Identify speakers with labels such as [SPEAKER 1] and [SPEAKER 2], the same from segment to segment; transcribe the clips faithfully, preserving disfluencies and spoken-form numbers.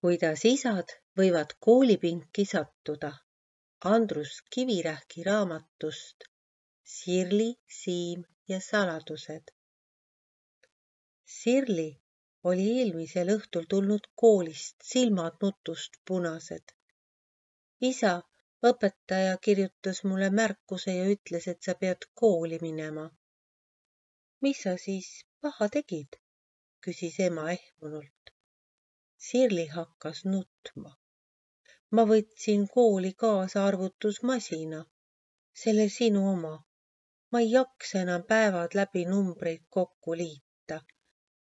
[SPEAKER 1] Kuidas isad võivad koolipinki sattuda. Andrus Kivirähki raamatust Sirli, Siim ja saladused. Sirli oli eelmisel õhtul tulnud koolist, silmad nutust punased. Isa, õpetaja kirjutas mulle märkuse ja ütles, et sa pead kooli minema. Mis sa siis paha tegid? Küsis ema ehmunult. Sirli hakkas nutma. Ma võtsin kooli kaasa arvutusmasina, selle sinu oma. Ma ei jaksa enam päevad läbi numbreid kokku liita.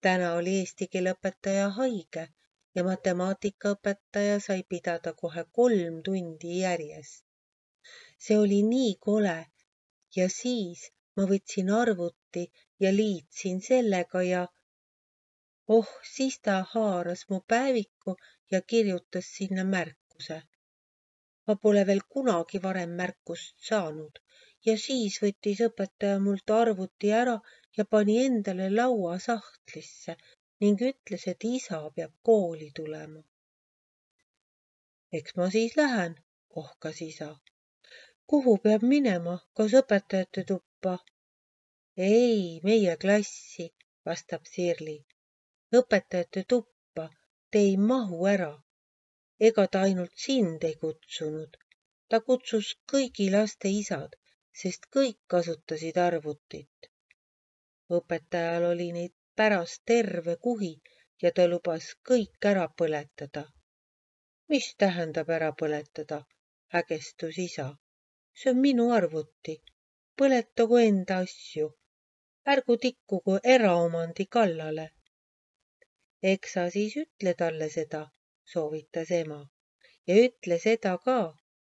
[SPEAKER 1] Täna oli eesti keele õpetaja haige ja matemaatikaõpetaja sai pidada kohe kolm tundi järjest. See oli nii kole ja siis ma võtsin arvuti ja liitsin sellega ja oh, siis ta haaras mu päeviku ja kirjutas sinna märkuse. Ma pole veel kunagi varem märkust saanud ja siis võttis õpetaja mult arvuti ära ja pani endale laua sahtlisse ning ütles, et isa peab kooli tulema. Eks ma siis lähen, ohkas isa. Kuhu peab minema, kas õpetajate tuppa? Ei, meie klassi, vastab Sirli. Õpetajate tuppa, te ei mahu ära. Ega ta ainult sind ei kutsunud. Ta kutsus kõigi laste isad, sest kõik kasutasid arvutit. Õpetajal oli neid pärast terve kuhi ja ta lubas kõik ära põletada. Mis tähendab ära põletada? Hägestus isa. See on minu arvuti. Põletagu enda asju. Ärgu tikkugu eraomandi kallale. Eks sa siis ütle talle seda, soovitas ema. Ja ütle seda ka,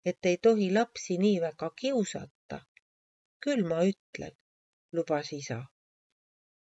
[SPEAKER 1] et ei tohi lapsi nii väga kiusata. Küll ma ütlen, lubas isa.